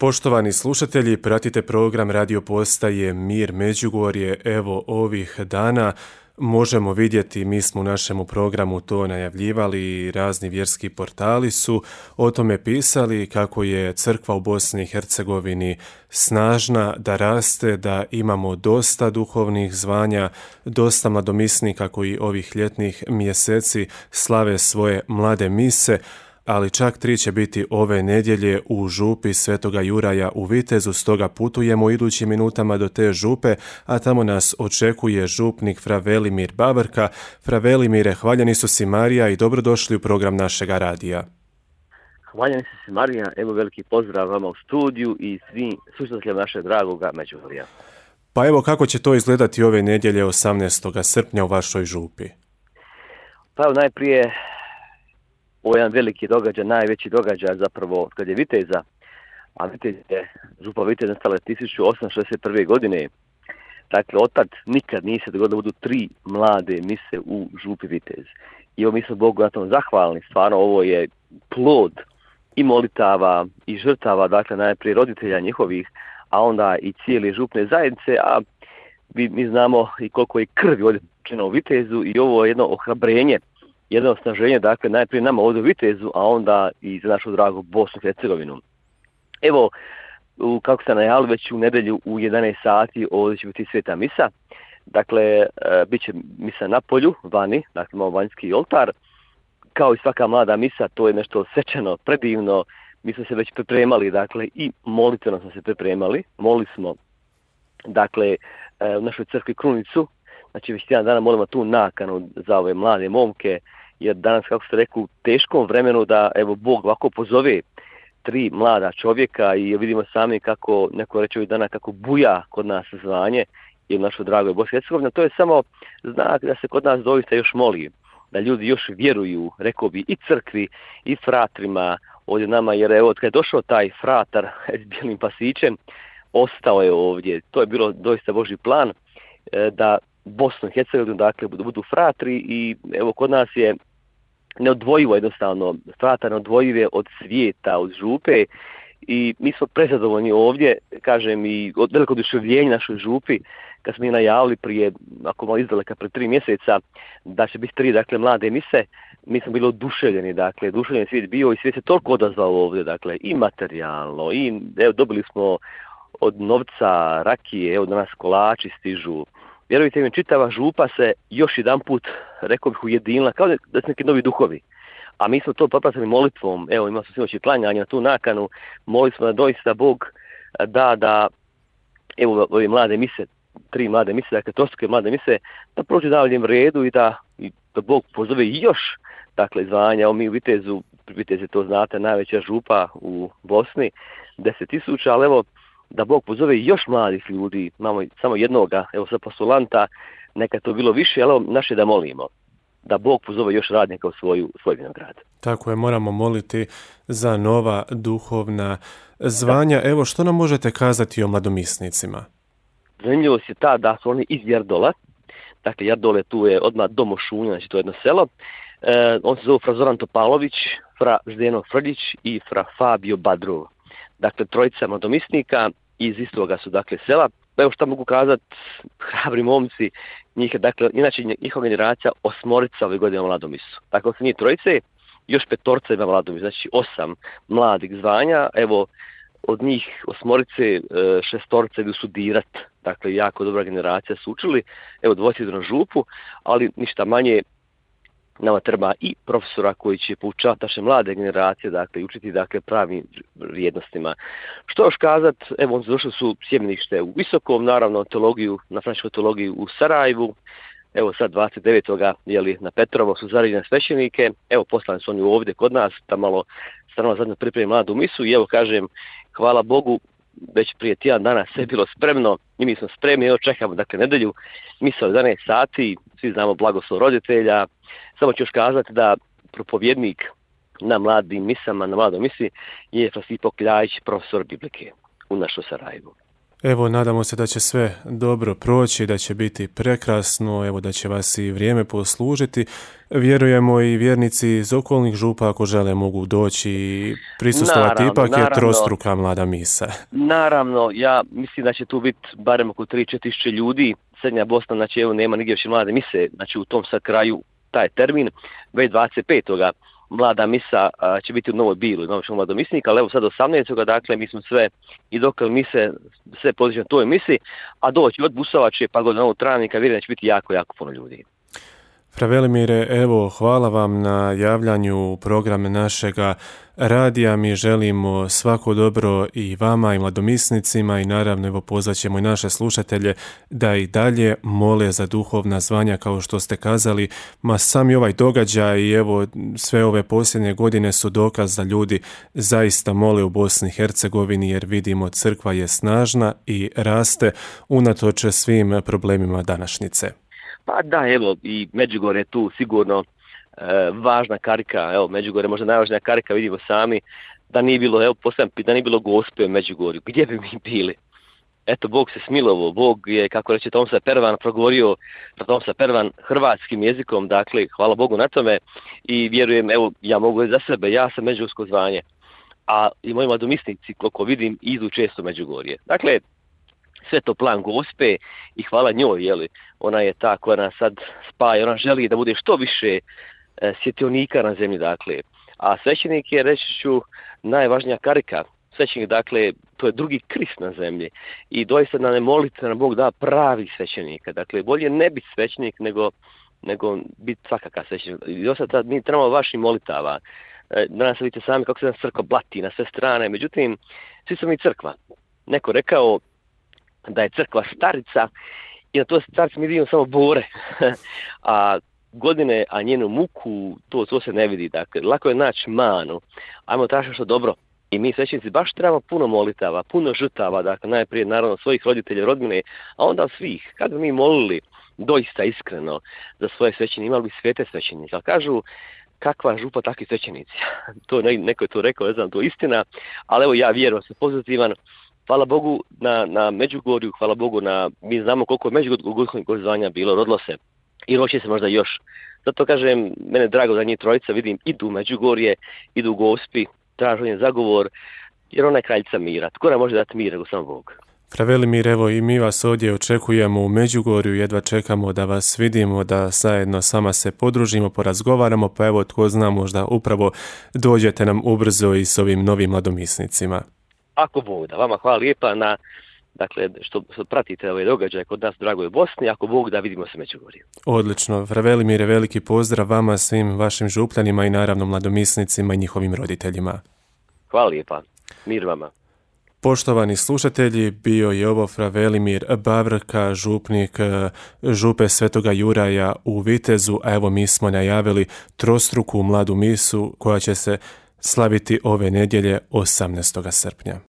Poštovani slušatelji, pratite program radio postaje Mir Međugorje. Evo ovih dana možemo vidjeti, mi smo u našemu programu to najavljivali, razni vjerski portali su o tome pisali kako je crkva u Bosni i Hercegovini snažna, da raste, da imamo dosta duhovnih zvanja, dosta mladomisnika koji ovih ljetnih mjeseci slave svoje mlade mise, ali čak 3 će biti ove nedjelje u župi Svetoga Juraja u Vitezu, stoga putujemo u idućim minutama do te župe, a tamo nas očekuje župnik fra Velimir Babrka. Fra Velimire, hvaljeni su si Marija i dobrodošli u program našega radija. Hvaljeni su si Marija, evo veliki pozdrav vama u studiju i svim slušateljima našeg dragoga Međugorja. Pa evo kako će to izgledati ove nedjelje 18. srpnja u vašoj župi? Pa evo najprije ovo je jedan veliki događaj, najveći događaj zapravo kad je Viteza, a župa Vitez nastala 1861. godine. Dakle, otad nikad nije se dogodilo da budu 3 mlade mise u župi Vitez. I evo mi smo Bogu na tom zahvalni, stvarno ovo je plod i molitava i žrtava, dakle najprije roditelja njihovih, a onda i cijele župne zajednice, a mi znamo i koliko je krvi ovdje učinjeno u Vitezu i ovo je jedno ohrabrenje, jedno osnaženje, dakle, najprije nama ovdje u Vitezu, a onda i za našu dragu Bosnu i Hercegovinu. Evo, kako ste najavili, već u nedjelju u 11 sati ovdje će biti sveta misa. Dakle, bit će misa na polju, vani, dakle imamo vanjski oltar. Kao i svaka mlada misa, to je nešto svečano, predivno. Mi smo se već pripremali, dakle, i molitveno smo se pripremali. Molili smo, dakle, u našoj crkvi Krunicu. Znači, već tjedan dana molimo tu nakanu za ove mlade momke, jer danas, kako ste rekli, u teškom vremenu da, evo, Bog ovako pozove 3 mlada čovjeka i vidimo sami kako, neko reče ovih dana, kako buja kod nas zvanje i u našoj dragoj Bosni i Hercegovini. To je samo znak da se kod nas doista još moli, da ljudi još vjeruju, rekao bi, i crkvi, i fratrima ovdje nama, jer evo, kad je došao taj fratar s bijelim pasićem, ostao je ovdje. To je bilo doista Božji plan, da Bosnu i Hercegovinu, dakle, budu fratri i evo kod nas je neodvojivo jednostavno, fratar neodvojiv je od svijeta, od župe i mi smo prezadovoljni ovdje, kažem, i od velikog oduševljenja našoj župi, kad smo je najavili prije, ako malo izdaleka, pred 3 mjeseca, da će biti 3, dakle, mlade mise, mi smo bili oduševljeni, dakle, oduševljeni svijet bio i svijet se toliko odazvao ovdje, dakle, i materijalno, i evo, dobili smo od novca, rakije, evo danas kolači stižu. Vjerujte mi, čitava župa se još jedan put, rekao bih, ujedinila, kao da su neki novi duhovi. A mi smo to popratili molitvom, evo imali smo sinoć i klanjanje na tu nakanu, molili smo da doista Bog da evo ove mlade mise, 3 mlade mise, dakle trostruke mlade mise, da prođu daljem redu i da Bog pozove još, dakle, zvanja. Evo mi u Vitezu, Vitez je to znate, najveća župa u Bosni, 10.000, ali evo, da Bog pozove još mladih ljudi, imamo samo jednoga, evo sad postulanta, neka to bilo više, ali naše da molimo, da Bog pozove još radnika u svoj vinograd. Tako je, moramo moliti za nova duhovna zvanja. Evo, što nam možete kazati o mladomisnicima? Zanimljivost je ta da su oni iz Jardola, dakle Jardole tu je odmah do Mošunja, znači to je jedno selo. On se zove fra Zoran Topalović, fra Zdeno Frljić i fra Fabio Badrov. Dakle, 3 mladomisnika iz istoga su, dakle, sela. Evo što mogu kazati, hrabri momci, njih, dakle, inače njihova generacija 8 ove godine mladomisu. Dakle, se nije 3, još 5 ima mladomisu, znači 8 mladih zvanja. Evo, od njih 8, 6 idu studirat, dakle, jako dobra generacija su učili. Evo, 2 idu na župu, ali ništa manje. Nama treba i profesora koji će poučavati naše mlade generacije, dakle, i učiti, dakle, pravim vrijednostima. Što još kazat, evo, oni došli su sjemenište u Visokom, naravno, teologiju, na frančkoj teologiju u Sarajevu, evo sad 29. jeli, na Petrovo su zaređene svećenike, evo, poslani su oni ovdje kod nas, da malo strano zadnje pripremi mladu misu i evo, kažem, hvala Bogu, već prije tjedan dana sve je bilo spremno i mi smo spremni, evo čekamo, dakle, nedjelju, misa od 11 sati, svi znamo blagoslov roditelja. Samo ću još kazati da propovjednik na mladim misama, na mladoj misi je Frasipo Kljajić, profesor biblike u našoj Sarajevu. Evo, nadamo se da će sve dobro proći, da će biti prekrasno, evo da će vas i vrijeme poslužiti. Vjerujemo i vjernici iz okolnih župa ako žele mogu doći i prisustovati, ipak je trostruka mlada misa. Naravno, ja mislim da će tu biti barem oko 3-4 tisuće ljudi. Srednja Bosna, znači evo nema nigdje više mlade mise, znači u tom sad kraju taj termin, već 25. mlada misa će biti u Novoj Biloj, Novog mladomisnika, ali evo sad 18. dakle mi smo sve i dok mise, sve pozično toj misi, a doći od Busovače pa do Novog Travnika, vjerujem da će biti jako, jako puno ljudi. Fra Velimire, evo, hvala vam na javljanju programe našega radija. Mi želimo svako dobro i vama i mladomisnicima i naravno evo pozvaćemo i naše slušatelje da i dalje mole za duhovna zvanja kao što ste kazali. Ma sami ovaj događaj i evo sve ove posljednje godine su dokaz da ljudi zaista mole u Bosni i Hercegovini jer vidimo crkva je snažna i raste unatoč svim problemima današnjice. Pa da, evo, i Međugorje je tu sigurno važna karika, evo, Međugorje je možda najvažnija karika, vidimo sami, da nije bilo, evo, da nije bilo Gospe u Međugorju, gdje bi mi bili? Eto, Bog se smilovao, Bog je, kako reče Tomsa Pervan, progovorio Tomsa Pervan hrvatskim jezikom, dakle, hvala Bogu na tome i vjerujem, evo, ja mogu za sebe, ja sam međugorsko zvanje, a i moji mladomisnici, koliko vidim, idu često u Međugorje. Dakle, sve to plan Gospe i hvala njoj, jeli, ona je ta koja nas sad spaja, ona želi da bude što više svjetionika na zemlji, dakle. A svećenik je, reći ću, najvažnija karika. Svećenik, dakle, to je drugi Krist na zemlji. I doista nam je moliti da Bog da pravi svećenika. Dakle, bolje ne biti svećenik nego biti svakakav svećenik. I dosta mi trebamo vaših molitava. Danas vidite sami kako se nas crkva blati na sve strane. Međutim, svi smo mi crkva. Neko rekao da je crkva starica i na to starica mi vidimo samo bore, a godine, a njenu muku, to se ne vidi. Dakle, lako je naći manu, ajmo tražiti što dobro. I mi svećenici baš trebamo puno molitava, puno žrtava, dakle najprije naravno svojih roditelja, rodbine, a onda svih. Kad bi mi molili doista iskreno za svoje svećenike, imali bi svete svećenike, ali kažu kakva župa, takvi svećenici. To neko je to rekao, ne znam, to je istina, ali evo ja vjerujem, sam pozitivan. Hvala Bogu na Međugorju, hvala Bogu mi znamo koliko je Međugorskog zvanja bilo, rodilo se i roće se možda još. Zato kažem, mene drago da njih trojica vidim, idu u Međugorje, idu u Gospi, tražu zagovor, jer ona je kraljica mira. Tko nam može dati mir nego sam Bog? Fra Velimir, evo i mi vas ovdje očekujemo u Međugorju, jedva čekamo da vas vidimo, da zajedno sama se podružimo, porazgovaramo, pa evo tko zna možda upravo dođete nam ubrzo i s ovim novim mladomisnicima. Ako Bog da, vama hvala lijepa dakle, što pratite ove događaje kod nas u dragoj Bosni, ako Bog da vidimo se Međugorju. Odlično, Fra Velimire, veliki pozdrav vama, svim vašim župljanima i naravno mladomisnicima i njihovim roditeljima. Hvala lijepa, mir vama. Poštovani slušatelji, bio je ovo Fra Velimir Bavrka, župnik župe Svetoga Juraja u Vitezu, a evo mi smo najavili trostruku mladu misu koja će se slaviti ove nedjelje 18. srpnja.